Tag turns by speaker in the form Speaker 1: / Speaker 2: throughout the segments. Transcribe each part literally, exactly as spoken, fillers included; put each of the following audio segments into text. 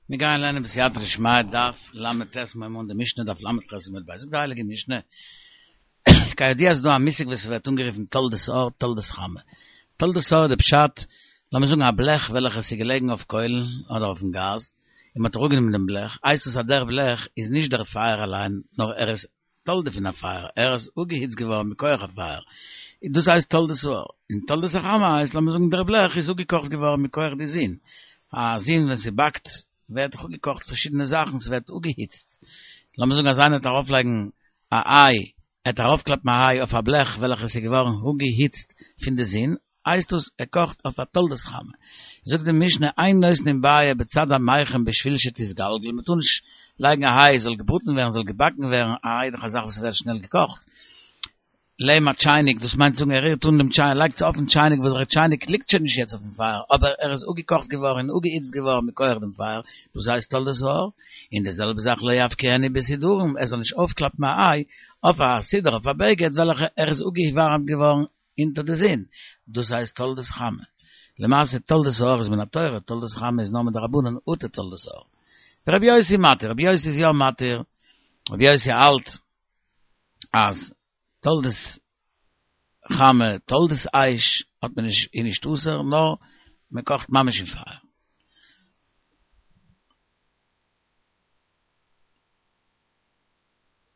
Speaker 1: מיר גייען לערנען בסייעתא דשמיא דף ל"ט מיר אן די משנה דף ל"ח עמוד ב'. זאגט די הייליגע משנה, כידוע איז דא א מושג וואס ווערט אנגערופן תולדות אור, תולדות חמה. תולדות האור איז די פשט, לאמיר זאגן א בלעך וועלכע עס איז געלעגן אויף קוילן אדער אויפן גאז, און מען האט אראפגענומען דעם בלעך, הייסט עס אז דער בלעך איז נישט דער פייער אליין, נאר ער איז תולדה פון א פייער, ער איז אפגעהיצט געווארן מכח א פייער, דאס הייסט תולדות האור. און תולדות החמה הייסט לאמיר זאגן דער בלעך איז אפגעקאכט געווארן מכח די זון, א זון ווען ס'באקט ווערט דאך אפגעקאכט פארשידענע זאכן, ס'ווערט אפגעהיצט, לאמיר זאגן אז איינער וועט ארויפלייגן א איי, ער וועט ארויפקלאפן א איי אויף א בלעך וועלכע איז געווארן אפגעהיצט פון די זון, הייסט דאס ער קאכט אויף א תולדות חמה. זאגט די משנה אין נותנין ביעא בצד המיחם בשביל שתתגלגל, מ'טאר נישט לייגן א איי זאל געבראטן ווערן, זאל געבאקן ווערן, א איי איז דאך א זאך וואס ווערט שנעל געקאכט, לעבן א טשייניק, דאס מיינט צו זאגן ער רירט אן דעם טשייניק, לייגט עס אויפן טשייניק וואס דער טשייניק ליגט שוין נישט יעצט אויפן פייער, אבער ער איז אפגעקאכט געווארן און אפגעהיצט געווארן מכח דעם פייער, דאס הייסט תולדות האור, און די זעלבע זאך לא יבקיענה בסודרין, ער זאל נישט אויפקלאפן א איי אויף א סודר אויף א בגד וועלכע ער איז אפגעווארעמט געווארן אונטער די זון, דאס הייסט תולדות חמה. למעשה תולדות האור איז מן התורה, תולדות חמה איז נאר מדרבנן אטו תולדות האור. ורבי יוסי מתיר, רבי יוסי איז יא מתיר, רבי יוסי האלט אז תולדות חמה, תולדות אש האט מען נישט, איז נישט אסור, נאר מען קאכט ממש אין פייער.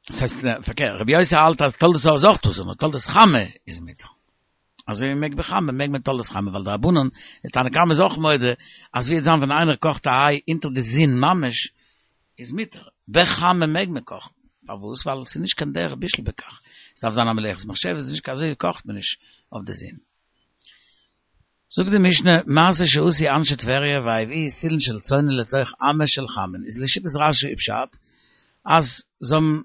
Speaker 1: דאס הייסט פארקערט, רבי יוסי האלט אז תולדות האור איז אויך אסור, נאר תולדות חמה איז מותר. אזוי ווי מ'מעג בחמה מעג מען תולדות חמה, ווייל די רבנן, די תנא קמא איז אויך מודה אז ווי וועט זיין ווען איינער קאכט א איי אונטער די זון ממש, איז מותר. בחמה מעג מען קאכן. פארוואס? ווייל עס איז נישט קיין דרך בישול בכך. עס דארף זיין א מלאכת מחשבת, עס איז נישט אזוי קאכט מען נישט אויף די זון. זאגט די משנה, מעשה שעשו אנשי טבריה והביאו סילין של צונן לתוך אמה של חמין, איז לשיטת רש"י פשט אז זיי האבן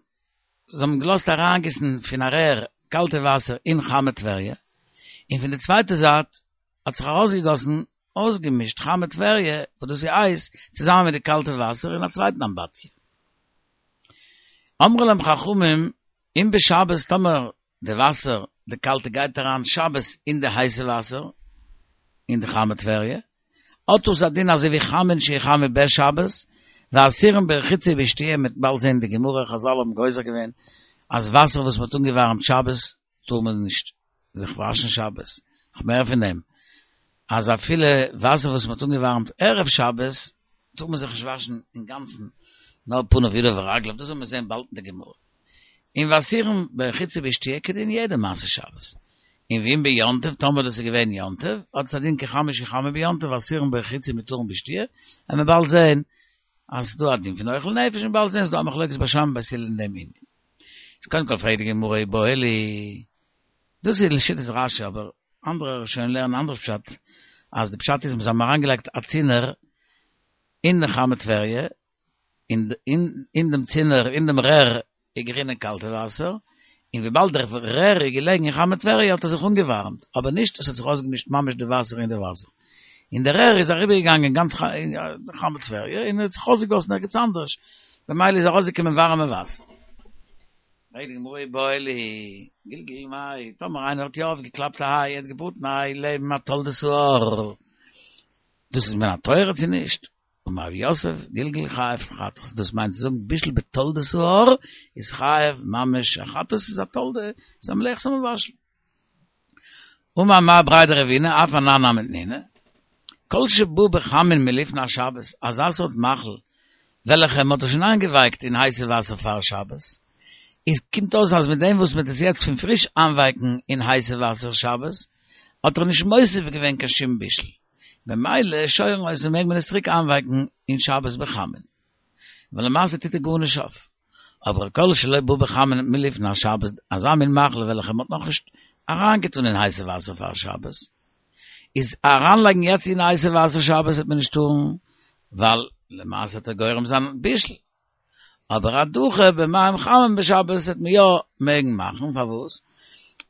Speaker 1: זיי האבן געלאזט אריינגיסן פון א רער קאלטע וואסער אין חמי טבריה, און פון די צווייטע זייט האט זיך ארויסגעגאסן אויסגעמישט חמי טבריה, וואס דאס איז הייס, צוזאמען מיט די קאלטע וואסער אין א צווייטן אמבטיה. אמרו להם חכמים, אם בשבת טאמער די וואסער, די קאלטע גייט אריין שבת אין די הייסע וואסער, אין די חמי טבריה, האט דאס א דין אזוי ווי חמין שיחמו בשבת, ואסורים ברחיצה ובשתיה, מ'וועט באלד זען די גמרא, חזל האבן גוזר געווען אז וואסער וואס מ'האט אנגעווארעמט שבת טאר מען נישט זיך וואשן שבת, נאך מער פון דעם, אז אפילו וואסער וואס מ'האט אנגעווארעמט ערב שבת טאר מען זיך נישט וואשן אינגאנצן, נאר פניו ידיו ורגליו, דאס וועל מיר זען באלד אין די גמרא. און ואסורים ברחיצה ובשתיה כדין יעדע מעשה שבת. און ואם ביום טוב, טאמער דאס איז געווען יום טוב, האט עס א דין כחמין שיחמו ביום טוב, ואסורים ברחיצה ומותרים בשתיה, וועט מען באלד זען אז ס'איז דא א דין פון אוכל נפש, און באלד זען ס'איז דא א מחלוקת בית שמאי ובית הלל אין דעם ענין. איז קודם כל פרעגט די גמרא איבעיא להו, דאס איז לשיטת רש"י אבער אנדערע ראשונים לערנען אנדערש פשט, אז די פשט איז זיי האבן אריינגעלייגט א צינור אין די חמי טבריה, אין אין דעם צינור אין דעם רער איז גערינען קאלטע וואסער, און וויבאלד דער רער איז געלעגן אין חמי טבריה האט ער זיך אנגעווארעמט, אבער נישט עס האט זיך אויסגעמישט ממש די וואסער אין די וואסער, און דער רער איז אריבערגעגאנגען גאנץ חמי טבריה און האט זיך אויסגעגאסן ערגעץ אנדערש, במילא איז ארויסגעקומען ווארעמע וואסער. פרעגט די גמרא איבעיא להו, גלגל מאי, טאמער איינער האט יא אויפגעקלאפט א איי, ער האט געבראטן א איי לעבן א תולדות האור, דאס איז מן התורה צו נישט? אמר רב יוסף, גלגול חייב חטאת, דאס מיינט צו זאגן בישול בתולדות האור איז חייב ממש א חטאת, איז א תולדה, איז א מלאכת המבשל. אמר מר בריה דרבינא, אף אנן נמי תנינא, כל שבא בחמין מלפני השבת, אזא סארט מאכל וועלכע מען האט דאך שוין איינגעווייקט אין הייסע וואסער פאר שבת, איז קומט אויס אז מיט דעם וואס מען טוט עס יעצט פון פריש איינווייקן אין הייסע וואסער שבת, האט ער נישט מוסיף געווען קיין שום בישול. במילא שורין אותו מעג מען עס צוריק איינווייקן אין שבת בחמין. ווייל למעשה טוט ער גארנישט אויף. אבער כל שלא בא בחמין מלפני השבת, אזא מין מאכל וועלכע מען האט נאכנישט אריינגעטון אין הייסע וואסער פאר שבת, איז אריינלייגן יעצט אין הייסע וואסער שבת וועט מען נישט טארן, ווייל למעשה וועט ער גורם זיין בישול. אבער הדחה במים חמים בשבת וועט מען יא מעגן מאכן, פארוואס?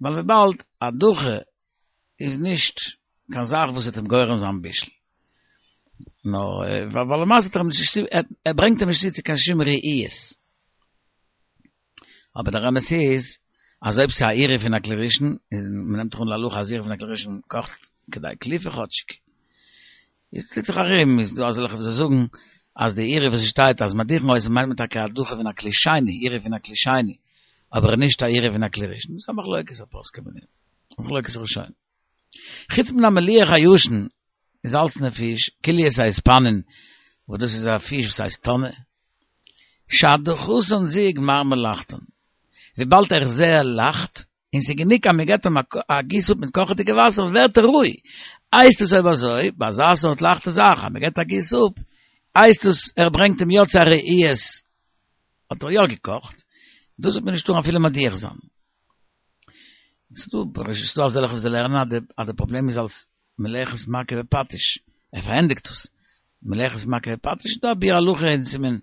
Speaker 1: ווייל וויבאלד הדחה איז נישט קיין זאך וואס וועט אים גורם זיין בישול. נאר ווייל למעשה האט ער אים נישט ער ברענגט אים נישט צו צו קיין שום ראיות. אבער דער אמת איז אז אויב ס'איז א עירוב פון א כלי ראשון, און מ'נעמט דאך אן להלכה אז עירוב פון א כלי ראשון קאכט כדי קליפה כאטשיג. איז טוט זיך ארום, איז דא אזעלכע וואס זאגן אז די עירוי וואס שטייט אז מדיחין אותו מיינט מען טאקע הדחה פון א כלי שני, עירוי פון א כלי שני, אבער נישט א עירוי פון א כלי ראשון. דאס איז א מחלוקת הפוסקים אין דעם. מחלוקת ראשונים. חוץ מן המליח הישן געזאלצענע פיש, קולייס האיספנין, וואס דאס איז א פיש וואס הייסט טונא, שהדחתן זו גמר מלאכתן, וויבאלד ער איז זייער לייכט, און ס'איז גענוג אז מ'געט אים א גיס אפ מיט קאכעדיגע וואסער ווערט ער רוי, הייסט עס אויב אזוי, ביי אזא סארט לייכטע זאך אז מ'געט א גיס אפ, הייסט עס ער ברענגט אים יא צו א רעיית, האט ער יא געקאכט, דאס וועט מען נישט טארן אפילו מדיח זיין. ס'איז דא אזעלכע וואס לערנען אז די פראבלעם איז אלס מלאכת מכה בפטיש, ער פארענדיגט עס, מלאכת מכה בפטיש, דא א ביאור הלכה אין סימן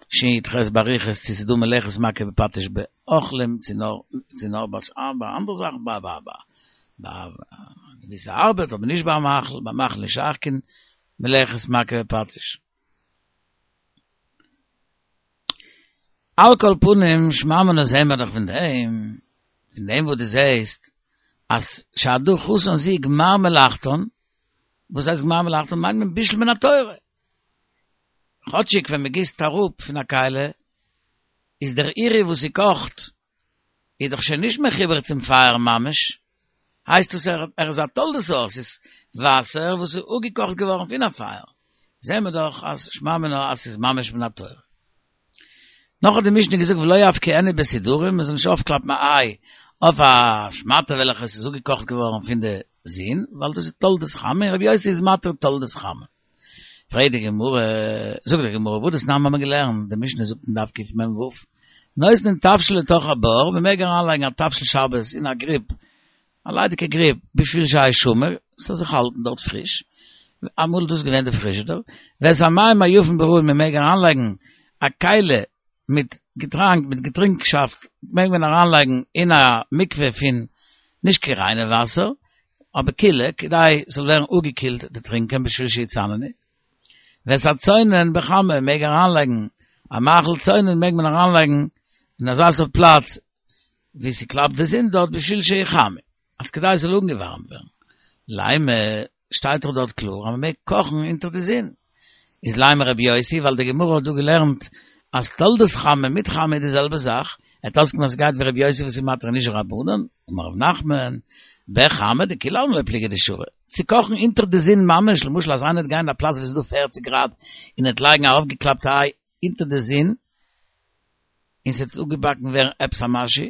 Speaker 1: שי"ח באריכות צו ס'איז דא מלאכת מכה בפטיש באוכלים צו נאר צו נאר ביי אנדערע זאכן ביי ביי ביי געוויסע ארבעט אבער נישט ביי מאכל, ביי מאכל נישט שייך קיין מלאכת מכה בפטיש. על כל פנים שמע מינה זעהן מיר דאך פון דעם, פון דעם וואס דו זעהסט אז שהדחתן זו גמר מלאכתן, וואס הייסט גמר מלאכתן? מיינט מען בישול מן התורה. כאטשיג ווען מ'גיסט אראפ פון א כלי, איז דער עירוי וואס ס'קאכט איז דאך שוין נישט מחובר צום פייער ממש, הייסט עס ער איז א תולדת האור, ס'איז וואסער וואס איז אפגעקאכט געווארן פון א פייער, זעהן מיר דאך אז שמע מינה אז ס'איז ממש מן התורה. נאך האט די משנה געזאגט ולא יבקיענו בסודרים, מ'זאל נישט אויפקלאפן א איי אויף א שמאטע וועלכע עס איז אפגעקאכט געווארן פון די זון, ווייל דאס איז תולדת חמה און רבי יוסי איז מתיר תולדת חמה. פרעגט די גמרא, זאגט די גמרא, והא דתנן האבן מיר געלערנט, די משנה זאגט אין דף קמ"ו, נותנין תבשיל לתוך הבור, מען מעג אריינלייגן א תבשיל שבת אין א גריב, א ליידיגע גריב, בשביל שישמר, ס'זאל זיך האלטן דארט פריש, אמאל איז דאס געווען די פריזשידער, ואת המים היפים בראוי, מען מעג אריינלייגן א כלי מיט געטראנק, מיט געטרינקשאפט, מעג מען אריינלייגן אין א מקווה פון נישט קיין ריינע וואסער, אבער קילע, כדי ס'זאל ווערן אפגעקילט די טרינקען בשביל שיצננו. ואת הצונן בחמה מעג אריינלייגן, א מאכל צונן מעג מען אריינלייגן אין אזא סארט פלאץ וואו ס'קלאפט די זון דארט בשביל שיחמה, אז כדי ס'זאל אנגעווארעמט ווערן. לימא, שטייט דאך דארט קלאר אז מ'מעג קאכן אונטער די זון. איז לימא רבי יוסי, ווייל די גמרא האט דא געלערנט אז תולדת חמה מיט חמה איז די זעלבע זאך, וועט אויסקומען אז ס'גייט ווי רבי יוסי וואס איז מתיר נישט רבנן, אמר רב נחמן, בחמה דכולי עלמא לא פליגי דשרי, צו קאכן אונטער די זון ממש, למשל אז איינער וועט גיין אין א פלאץ ווי ס'איז דא פֿערציק גראד און ער וועט לייגן א אויפגעקלאפטע איי אונטער די זון און ס'וועט אפגעבאקן ווערן עפעס א משהו,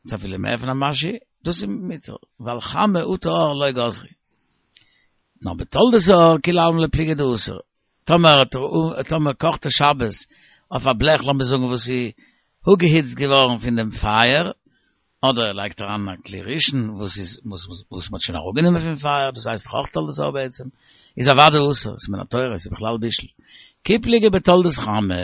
Speaker 1: צו אפילו מער פון א משהו, דאס איז מותר, ווייל חמה אטו אור לא גזרו. נאר בתולדת האור כולי עלמא לא פליגי דאסור. טאמער טאמער קאכט ער שבת אויף א בלעך לאמיר זאגן וואס איז אפגעהיצט געווארן פון דעם פייער, אדער ער לייגט אריין א כלי ראשון וואס איז וואס מ'האט שוין אראפגענומען פון פייער, דאס הייסט דאך אויך תולדת האור בעצם, איז אוודאי אסור, ס'איז מן התורה, ס'איז בכלל בישול. כי פליגי בתולדת חמה.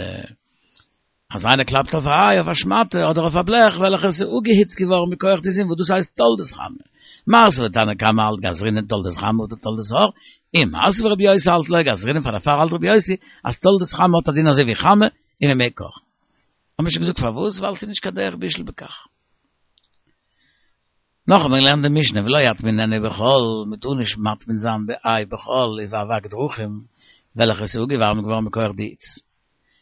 Speaker 1: אז איינער קלאפט אויף א איי אויף א שמאטע אדער אויף א בלעך וועלכע עס איז אפגעהיצט געווארן מכח די זון וואס דאס הייסט תולדת חמה. מר סבר תנא קמא האלט גזרינן תולדת חמה אטו תולדת האור, און מר סבר רבי יוסי האלט לא גזרינן פאר דערפאר האלט רבי יוסי אז תולדת חמה האט א דין אזוי ווי חמה און מען מעג קאכן. האבן מיר שוין געזאגט פארוואס ווייל ס'איז נישט קיין דרך בישול בכך. נאך האט מען געלערנט די משנה ולא יטמיננה בחול, מען טאר נישט מטמין זיין די איי בחול ובאבק דרכים וועלכע עס איז אפגעווארעמט געווארן מכח די היץ.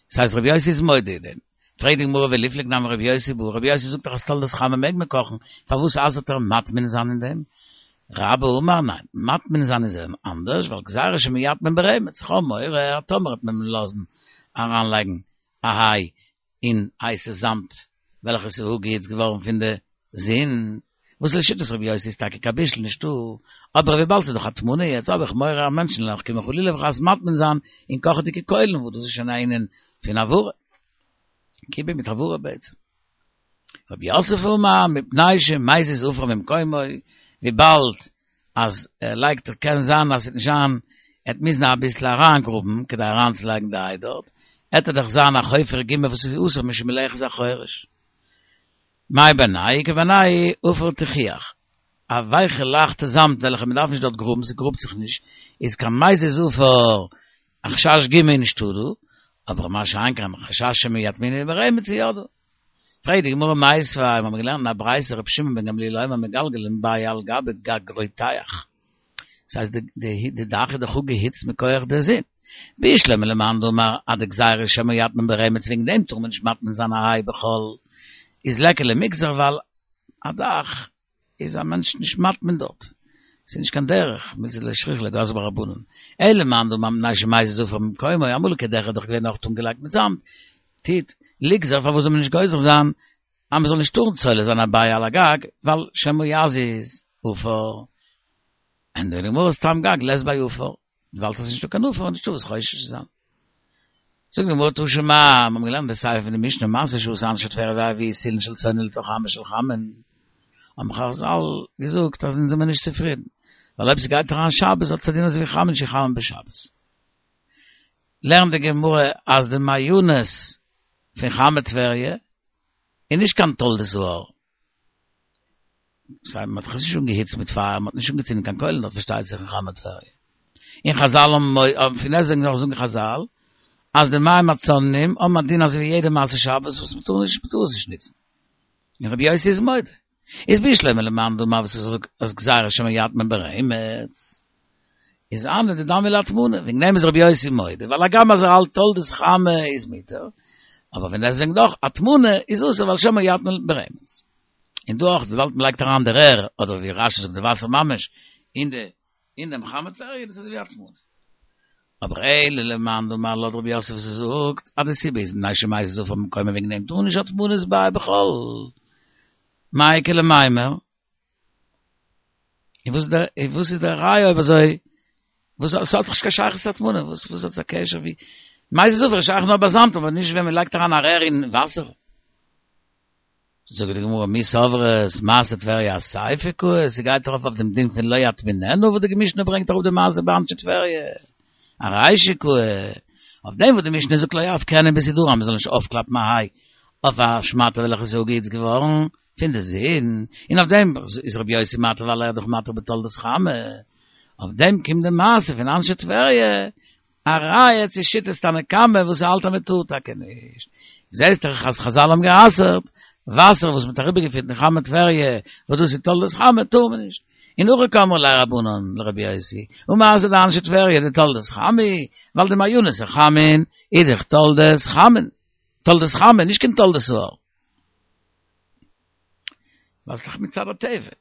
Speaker 1: דאס הייסט רבי יוסי איז מודה אין דעם. פרעגט די גמרא וליפלוג נמי רבי יוסי בהא, רבי יוסי זאגט דאך אז תולדת חמה מעג מען קאכן, פארוואס אסר'ט ער מטמין זיין אין דעם? רבה אמר ניין, מטמין זיין איז אנדערש, ווייל גזירה שמא יטמין ברמץ, כ'האב מורא אז טאמער וועט מען לאזן אריינלייגן א איי אין הייסע זאמד וועלכע איז אפגעהיצט געווארן פון די זון, וואס לשיטת רבי יוסי איז טאקע קיין בישול נישטא, אבער וויבאלד ס'איז דאך הטמנה יעצט האב איך מורא אז מענטשן וועלן קומען חלילה וחס מטמין זיין אין קאכעדיגע קוילן וואס דאס איז שוין א ענין פון הבערה, כיבוי מיט הבערה בעצם. רב יוסף אמר מפני שמזיז עפר ממקומו, וויבאלד אז ער לייגט קען זיין אז ס'וועט נישט זיין, ער וועט מוזן אביסל אריינגראבן כדי אריינצולייגן די איי דארט, עט ער דאך זיין א חופר גומא וואס איז אסור משום מלאכת החורש. מאי בינייהו איכא בינייהו עפר תיחוח, א ווייכע לייכטע זאמד וועלכע מ'דארף נישט דארט גראבן, ס'גראבט זיך נישט, איז קיין מזיז עפר, א חשש גומא איז נישטא דא, אבער מה שאין כן חשש שמא יטמינהו ברמץ איז יא דא. פרעגט די גמרא מיתיבי, מיר האבן געלערנט אין א ברייתא רבי שמעון בן גמליאל אומר מגלגלין ביעי על גבי גג רותח, דאס הייסט די דאך איז דאך אפגעהיצט מכח די זון, בשלמא למאן דאמר אז די גזירה שמא יטמין ברמץ וועגן דעם טאר מען נישט מטמין זיין א היי בחול איז ליכא למיגזר ווייל א דאך איז א מענטש נישט מטמין דארט ס'איז נישט קיין דרך מילתא דלא שכיחא לה גזרו בה רבנן אלא למאן דאמר מפני שמזיז עפר ממקומו אמאליגע דעכער איז דאך געווען אויך אנגעלייגט מיט זאמד טיט ליגזר פארוואס זאל מען נישט גוזר זיין אז מען זאל נישט טארן צולה זיין א ביעי על הגג ווייל שמא יזיז עפר ענטפערט די גמרא סתם גג לית ביה עפר וויבאלד ס'איז נישטא קיין עפר איז נישטא וואס חושש צו זיין. זאגט די גמרא תא שמע, מיר האבן געלערנט די סיפא פון די משנה מעשה שעשו אנשי טבריה והביאו סילין של צונן לתוך חמין של חמין, האבן חזל געזאגט אז אונז זעמיר נישט צופרידן, ווייל אויב ס'גייט אריין שבת האט עס א דין אזויווי חמין שחמין בשבת. לערנט די גמרא אז די מעיינות פון חמי טבריה איז נישט קיין תולדות האור, סיי מען האט זיך נישט אנגעהיצט מיט פייער, מען האט נישט אנגעצינדן קיין קוילן דארט פארשטייט זיך אין חמי טבריה. און חזל האבן, פון דעסטוועגן נאך זאגן חזל, אז די מים הצוננים האבן א דין אזוי ווי יעדע מעשה שבת וואס מען טאר נישט, מען טאר עס נישט נוצן. און רבי יוסי איז מודה. איז בשלמא למאן דאמר וואס ער זאגט אז גזירה שמא יטמין ברמץ, איז הני דדמיא להטמנה, וועגן דעם איז רבי יוסי מודה, ווייל הגם אז ער האלט תולדות חמה איז מותר, אבער פון דעסטוועגן דאך הטמנה איז אסור ווייל שמא יטמין ברמץ. און דא אויך וויבאלד מען לייגט אריין די רער, אדער ווי רשי זאגט די וואסער ממש, אין די אין דעם חמי טבריה איז עס אזוי ווי הטמנה. אבער אלא למאן דאמר לויט רב יוסף וואס ער זאגט אז די סיבה איז מפני שמזיז עפר ממקומו וועגן דעם טאר נישט הטמנת ביעי בחול. מאי איכא למימר? און וואס איז דער און וואס איז דער ראיה אויב אזוי? וואס עס האט דאך נישט קיין שייכות צו הטמנה, וואס וואס האט עס א קשר ווי מזיז עפר איז שייך נאר ביי זאמד אבער נישט ווען מען לייגט אריין א רער אין וואסער. זאגט די גמרא מי סברת מעשה טבריה אסיפא קאי, ס'גייט ארויף אויף דעם דין פון לא יטמיננה וואס די משנה ברענגט אראפ די מעשה באנשי טבריה, ארישא קאי, אויף דעם וואס די משנה זאגט לא יפקענה בסודרי אז מ'זאל נישט אויפקלאפן א היי אויף א שמאטע וועלכע איז אפגעהיצט געווארן פון די זון, און אויף דעם איז רבי יוסי מתיר ווייל ער איז דאך מתיר בתולדות חמה, אויף דעם קומט די מעשה פון אנשי טבריה א ראיה צו שיטת תנא קמא וואס האלט אז מען טאר טאקע נישט. זעסט דאך אז חזל האבן גע'אסר'ט וואסער וואס מען האט אריבערגעפירט אין חמי טבריה, וואס דאס איז תולדות חמה טאר מען נישט. און הכי קאמרי ליה רבנן לרבי יוסי, הא מעשה דאנשי טבריה דתולדות חמה, ווייל די מעיינות החמין איז דאך תולדות חמין, תולדות חמה, נישט קיין תולדות האור. ווייל ס'איז דאך מצד הטבע.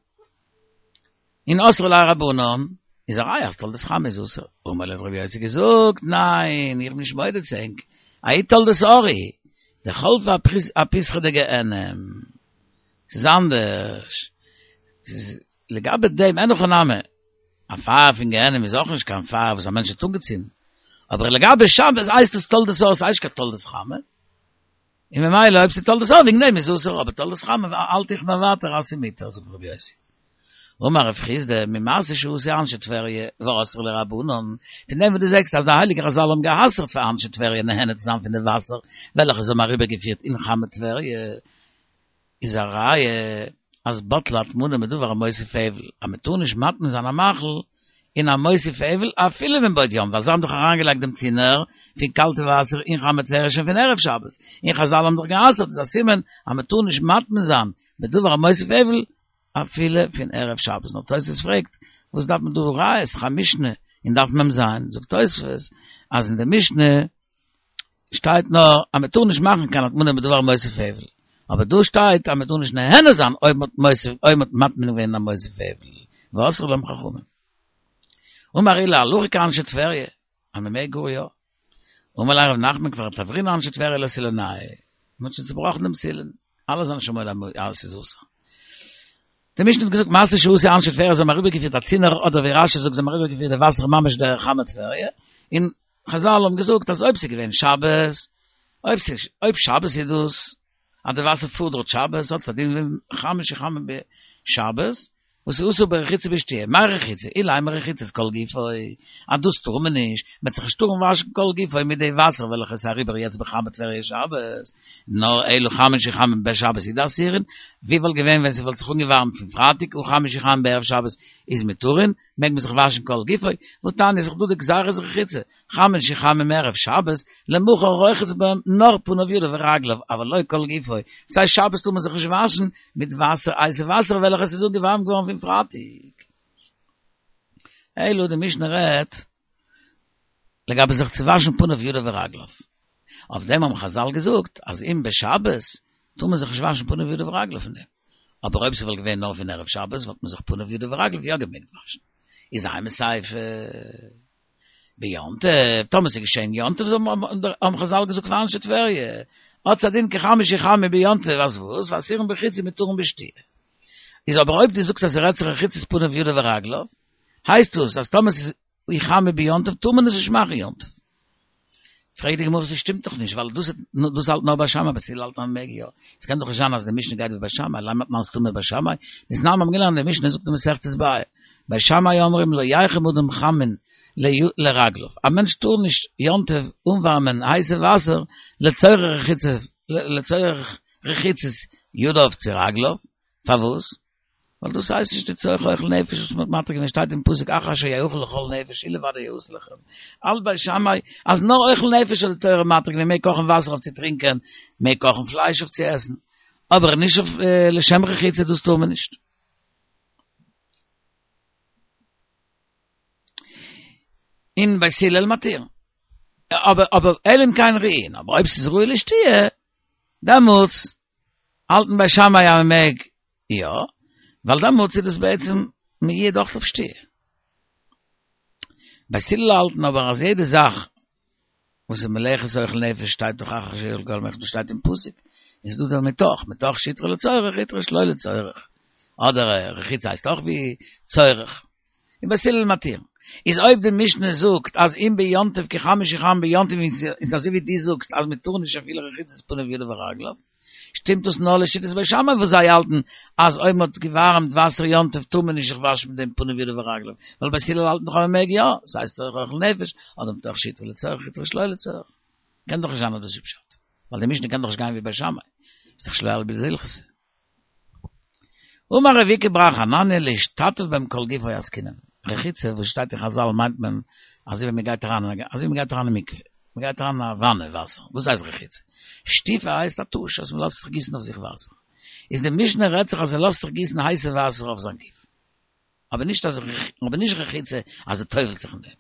Speaker 1: און אסרו ליה רבנן, איז א ראיה אז תולדות חמה איז אסור. אמר להו האט רבי יוסי געזאגט, ניין, איך בין נישט מודה צו ענק, ההיא תולדות האור היא, דחלפא אפיתחא דגיהנם. ס'איז אנדערש. ס'איז לגבי דעם, אין הכי נמי, א פייער פון גיהנם איז אויך נישט קיין פייער וואס א מענטש האט אנגעצינדן. אבער לגבי שבת הייסט עס תולדות האור, ס'הייסט נישט קיין תולדות חמה. און ממילא אויב ס'איז תולדות האור וועגן דעם איז אסור, אבער תולדות חמה האלט איך מיר ווייטער אז ס'איז מותר, זאגט רבי יוסי. אמר רב חסדא, ממעשה שעשו אנשי טבריה ואסרו להו רבנן, פון דעם וואס דו זעגסט אז די הייליגע חזל האבן גע'אסר'ט פאר אנשי טבריה נהנה צו זיין פון די וואסער וועלכע זיי האבן אריבערגעפירט אין חמי טבריה, איז א ראיה אז בטלה הטמנה בדבר המוסיף הבל, אז מען טאר נישט מטמין זיין א מאכל אין א מוסיף הבל אפילו מבעוד יום, ווייל זיי האבן דאך אריינגעלייגט דעם צינור פון קאלטע וואסער אין חמי טבריה שוין פון ערב שבת, און חזל האבן דאך גע'אסר'ט, איז א סימן אז מען טאר נישט מטמין זיין בדבר המוסיף הבל אפילו פון ערב שבת, נאר תוספות פרעגט, וואס דארף מען דא ראיות, ס'דאך א משנה אין דף מ"ז, זאגט תוספות אז אין די משנה שטייט נאר אז מען טאר נישט מאכן קיין הטמנה בדבר מוסיף הבל, אבער דא שטייט אז מען טאר נישט נהנה זיין אויב מען האט מוסיף אויב מען האט מטמין געווען א מוסיף הבל, ואסרו להם חכמים. אמר עולא הלכה כאנשי טבריה, אז מען מעג גאר יא. אמר ליה רב נחמן כבר תברינהו אנשי טבריה לסילונייהו, מען האט שוין צובראכן דעם סילון, אלע זענען שוין מודה אז עס איז אסור. די משנה האט געזאגט מעשה שעשו אנשי טבריה זיי האבן אריבערגעפירט א צינור אדער ווי רשי זאגט זיי האבן אריבערגעפירט די וואסער ממש דורך חמי טבריה, און חזל האבן געזאגט אז אויב ס'איז געווען שבת, אויב ס'איז אויב שבת איז דאס אז די וואסער פארט דארט שבת האט עס א דין ווי חמין שחמין בשבת, וואס איז אסור ברחיצה ובשתיה, מאי רחיצה? אילימא רחיצת כל גופו, אז דאס טאר מען נישט, מ'וועט זיך נישט טארן וואשן כל גופו מיט די וואסער וועלכע איז אריבער יעצט בחמי טבריה שבת, נאר אלא חמין שחמין בשבת הוא דאסירין, ווי וואלט געווען ווען ס'וואלט זיך אנגעווארעמט פון פרייטאג הא חמין שחמין בערב שבת איז מותרין, מעג מען זיך וואשן כל גופו, והתניא איז דאך דא די גזירת רחיצה, חמין שחמין מערב שבת, למחר רוחץ בהם נאר פניו ידיו ורגליו, אבל לא כל גופו, ס'הייסט שבת טאר מען זיך נישט וואשן מיט וואסער הייסע וואסער וועלכעס איז אנגעווארעמט געווארן פון פרייטאג. אלא די משנה רעדט לגבי זיך צו וואשן פניו ידיו ורגליו. אויף דעם האבן חז"ל געזאגט אז אם בשבת טאר מען זיך נישט וואשן פניו ידיו ורגליו פון דעם. אבער אויב ס'וואלט געווען נאר פון ערב שבת וואלט מען זיך פניו ידיו ורגליו יא געמעגט וואשן. איז אימא סיפא ביום טוב, טאמער ס'איז געשען יום טוב האבן חז"ל געזאגט פאר אנשי טבריה, האט א דין כחמין שיחמו ביום טוב, אז וואס? ואסירין ברחיצה מותרין בשתיה. איז אבער אויב דו זאגסט אז ס'רעדט זיך רחיצת פניו ידיו ורגליו, הייסט דאס אז טאמער ס'איז יחמו ביום טוב טאר מען עס נישט מאכן יום טוב. פרעגט די גמרא ס'שטימט דאך נישט ווייל דאס דאס האלט נאר בית שמאי בית הלל האלט אז מ'מעג יא. ס'קען דאך נישט זיין אז די משנה גייט ווי בית שמאי, לימא תנן סתמא בית שמאי, דתנן מיר האבן געלערנט די משנה זאגט אין מסכת ביעא, בית שמאי אומרים לא יחם אדם חמין לרגליו, א מענטש טאר נישט יום טוב אנווארמען הייסע וואסער לצורך רחיצה לצורך רחיצת ידיו צו רגליו, פארוואס? ווייל דאס הייסט נישט לצורך אוכל נפש וואס מ'האט מתיר געווען שטייט אין פסוק אחר אשר יאכל לכל נפש אלו ודאי יעשה לכם האלט בית שמאי אז נאר אוכל נפש האט די תורה מתיר געווען מעג קאכן וואסער אויף צו טרינקען מעג קאכן פלייש אויף צו עסן אבער נישט אויף לשם רחיצה דאס טאר מען נישט. און בית הלל מתיר. אבער אבער אלא אם כן ראויין, אבער אויב ס'איז ראוי לשתיה, דעמאלטס האלטן בית שמאי אז מ'מעג יא, ווייל דעמאלטס איז דאס בעצם מיועד אויך אויף שתיה. בית הלל האלטן אבער אז יעדע זאך וואס איז מלאכת אוכל נפש שטייט דאך אחר אשר יאכל כל נפש דאס שטייט אין פסוק, איז דא דער מתוך, מתוך שהותרה לצורך הותרה שלא לצורך, אדער רחיצה הייסט אויך ווי צורך, און בית הלל מתיר. איז אויב די משנה זאגט אז אם ביום טוב כחמין שיחמו ביום טוב איז אזוי ווי דו זאגסט אז מען טאר נישט אפילו רחיצת פניו ידיו ורגליו, שטימט דאס נאר לשיטת בית שמאי וואס זיי האלטן אז אויב מען האט געווארעמט וואסער יום טוב טאר מען נישט זיך וואשן מיט דעם פניו ידיו ורגליו, ווייל בית הלל האלטן דאך אז מען מעג יא, ס'הייסט צורך אוכל נפש, אדער מתוך שהותרה לצורך הותרה שלא לצורך. קען דאך נישט זיין אז דאס איז פשט, ווייל די משנה קען דאך נישט גיין ווי בית שמאי, איז דאך שלא אליבא דהלכתא. אמר רב איקא בר חנניה להשתטף בהם כל גופו עסקינן, רחיצה וואס שטייט אין חזל מיינט מען אזוי ווי מען גייט אריין אזוי ווי מען גייט אריין אין מקווה, מען גייט אריין אין א וואנע וואסער, דאס הייסט רחיצה, שטיפה הייסט א טוש אז מען לאזט זיך גיסן אויף זיך וואסער, איז די משנה רעדט זיך אז ער לאזט זיך גיסן הייסע וואסער אויף זיין גוף, אבער נישט אז אבער נישט רחיצה אז ער טובל'ט זיך אין דעם,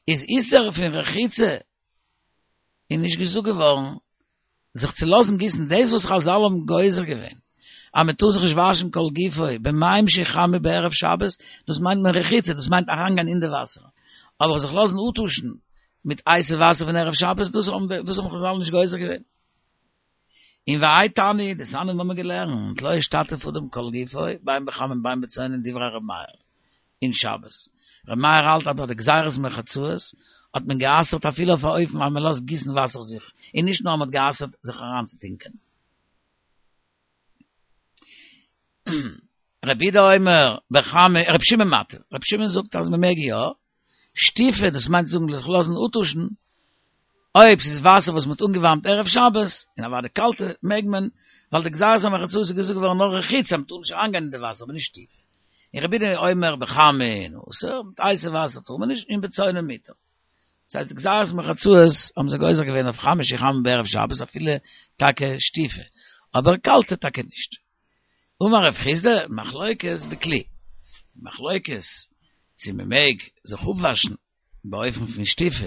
Speaker 1: איז איסור פון רחיצה איז נישט געזאגט געווארן זיך צו לאזן גיסן, דאס וואס חזל האבן גוזר געווען אז מען טאר זיך נישט וואשן כל גופו במים שיחמו בערב שבת, דאס מיינט מען רחיצה, דאס מיינט אריינגיין אין די וואסער, אבער זיך לאזן אפטושן מיט הייסע וואסער פון ערב שבת, דאס האבן דאס האבן חזל נישט גוזר געווען. און והאי תנא, דתניא האבן מיר געלערנט, לא ישתטף אדם כל גופו, בין בחמין בין בצונן דברי ר' מאיר, אין שבת. ר' מאיר האלט אז ביי די גזירת מרחצאות האט מען גע'אסר'ט אפילו אויף א אופן אז מען לאזט גיסן וואסער אויף זיך, און נישט נאר מען האט גע'אסר'ט זיך אריינצוטונקען. רבי יהודה אומר בחמין, רבי שמעון מתיר, רבי שמעון זאגט אז מען מעג יא, שטיפה דאס מיינט זאגן זיך לאזן אפטושן, אויב ס'איז וואסער וואס מ'האט אנגעווארעמט ערב שבת, און אוודאי קאלטע, מעג מען, ווייל די גזירת המרחצאות איז געזאגט געווארן נאר רחיצה, מ'טאר נישט אריינגיין אין די וואסער, אבער נישט שטיפה. און רבי יהודה אומר בחמין אסור, מיט הייסע וואסער טאר מען נישט, און בצונן מותר. דאס הייסט די גזירת מרחצאות האבן זיי גוזר געווען אויף חמין שיחמו בערב שבת אפילו טאקע שטיפה, אבער קאלטע טאקע נישט. אמר רב חסדא, מחלוקת בכלי, מחלוקת צו מען מעג זיך אפוואשן באופן פון שטיפה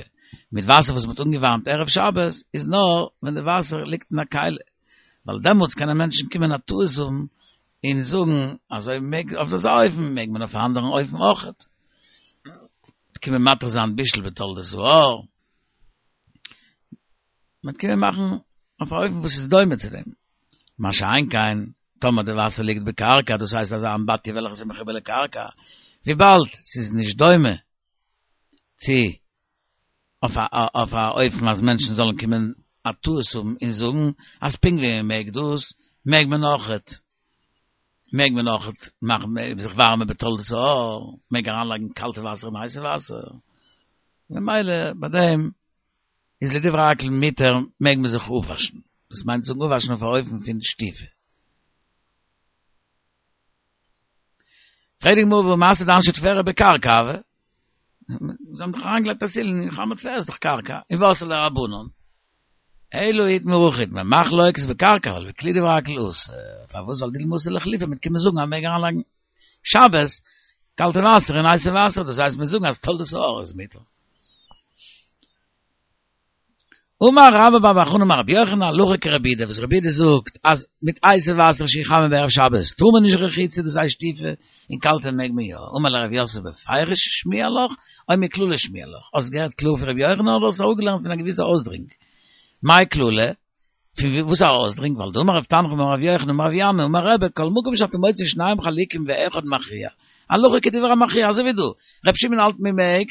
Speaker 1: מיט וואסער וואס מען האט אנגעווארעמט ערב שבת איז נאר ווען די וואסער ליגט אין א כלי, ווייל דעמאלטס קענען מענטשן קומען א טעות האבן און זאגן אז אויב מעג אויף אזא אופן מעג מען אויף א אנדערן אופן אויכעט. קען מען מתיר זיין בישול בתולדות האור, מען קען מאכן אויף א אופן וואס איז דומה צו דעם, מה שאין כן טאמער די וואסער ליגט בקרקע, דאס הייסט אזא אמבטיה וועלכע איז מחובר לקרקע, וויבאלד ס'איז נישט דומה צו אויף א אויף א אופן אז מענטשן זאלן קומען א טעות האבן און זאגן אז פונקט ווי מען מעג דאס מעג מען אויכעט מעג מען אויכעט מאכן זיך ווארעמען בתולדות האור, מעג אריינלייגן קאלטע וואסער אין הייסע וואסער, ממילא ביי דעם איז לדברי הכל מותר מעג מען זיך אפוואשן, דאס מיינט זאגן אפוואשן אויף א אופן פון שטיפה. פרעגט די גמרא והא מעשה דאנשי טבריה בקרקע הוה, זיי האבן דאך אריינגעלייגט א סילון אין חמי טבריה איז דאך קרקע, און ואתו לרבנן, אלא איתמר הכי איתמר, מחלוקת בקרקע אבל בכלי דברי הכל אסור, פארוואס ווייל דילמא אתי לאיחלופי מ'וועט קומען זאגן אז מ'מעג אריינלייגן שבת קאלטע וואסער אין הייסע וואסער, דאס הייסט מ'וועט זאגן אז תולדות האור איז מותר. אמר רבה בר בר חנה אמר רבי יוחנן הלכה כרבי יהודה, וואס רבי יהודה זאגט אז מיט הייסע וואסער שיחמם בערב שבת טאר מען נישט רחיצה, דאס הייסט שטיפה, און קאלטע מעג מען יא. אמר ליה רב יוסף בפירוש שמיע לך, או מכללא שמיע לך? האסט געהערט קלאר פון רבי יוחנן אדער האסט אראפגעלערנט פון א געוויסע אויסדרינג? מאי כללא? פון וואס א אויסדרינג? ווייל דאמר רב תנחום אמר רבי יוחנן אמר רבי אמי אמר רבי כל מקום שאתה מוצא שניים חלוקים ואחד מכריע הלכה כדברי המכריע אזוי ווי דא רבי שמעון האלט מען מעג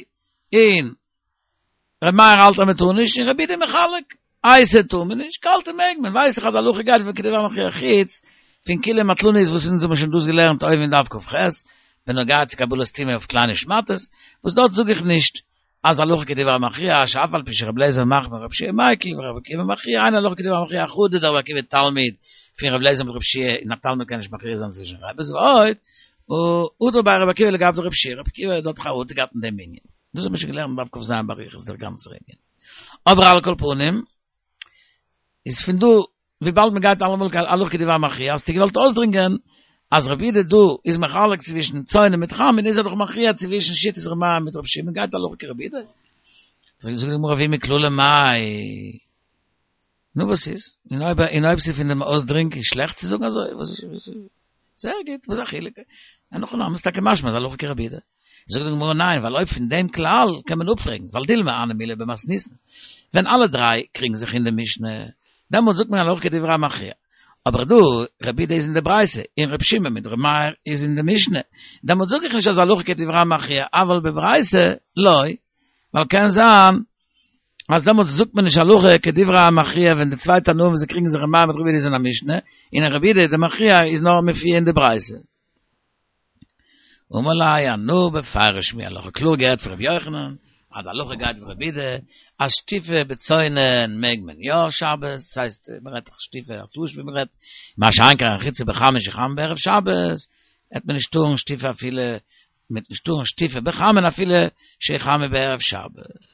Speaker 1: און ר' מאיר האלט אז מען טאר נישט און רבי יהודה מחלק, הייסע טאר מען נישט, קאלטע מעג מען, ווייס איך אז די הלכה גייט ווי כדברי המכריע חוץ פון כילי מטלנית וואס אונז האבן שוין דאס געלערנט אויבן אין דף כ"ח בנוגע צו קבלת טומאה אויף קליינע שמאטעס, וואס דארט זאג איך נישט אז הלכה כדברי המכריע שאף על פי שר' אליעזר מחמיר ור' יהושע מיקל ור' עקיבא מכריע אין הלכה כדברי המכריע חדא דר' עקיבא תלמיד פון ר' אליעזר מיט ר' יהושע און א תלמיד קען נישט מכריע זיין צווישן רבי'ס ועוד הדר ביה ר' עקיבא לגבי דר' יהושע ר' עקיבא האט דארט חרטה געהאט אין דעם ענין. דאס האט מען שוין געלערנט דף כ"ז באריכות דער גאנצער ענין. אבער על כל פנים, איז פון דא, וויבאלד מען גייט אלעמאל הלכה כדברי המכריע, האסטו געוואלט אויסדרינגען אז רבי יהודה דא איז מחלק צווישן צונן מיט חמין, איז ער דאך מכריע צווישן שיטת ר' מאיר מיט ר' שמעון, גייט הלכה כרבי יהודה. זאגט די גמרא ואי מכללא מאי. נו וואס איז? און אויב און אויב ס'איז פון דעם אויסדרינג איז שלעכט צו זאגן אזוי? וואס איז זייער גוט, וואס איז א חילוק? אין הכי נמי, ס'איז טאקע משמע אז הלכה כרבי יהודה. זאגט די גמרא ניין, ווייל אויב פון דעם כלל קען מען אפפרעגן, ווייל דילמא הני מילי במתניתין, ווען אלע דריי קריגן זיך אין די משנה, דעמאלט זאגט מען הלכה כדברי המכריע. אבער דא, רבי יהודה איז אין די ברייתא, און רבי שמעון מיט רבי מאיר איז אין די משנה, דעמאלט זאג איך נישט אז הלכה כדברי המכריע, אבל בברייתא לא, ווייל קען זיין אז דעמאלטס זאגט מען נישט הלכה כדברי המכריע ווען די צוויי תנאים וואס זיי קריגן זיך ר' מאיר מיט רבי יהודה איז אין א משנה, און רבי יהודה די מכריע איז נאר מופיע אין די ברייתא. אמר ליה אנא בפירוש שמיע לך, קלאר געהערט פון רבי יוחנן אז די הלכה גייט ווי רבי יהודה אז שטיפה בצונן מעג מען יא שבת, דאס הייסט מען רעדט דאך שטיפה א טוש ווי מען רעדט, מה שאין כן רחיצה בחמין שיחמם בערב שבת, העט מען נישט טארן שטיפה אפילו, מען וועט נישט טארן שטיפה בחמין אפילו שיחמם בערב שבת.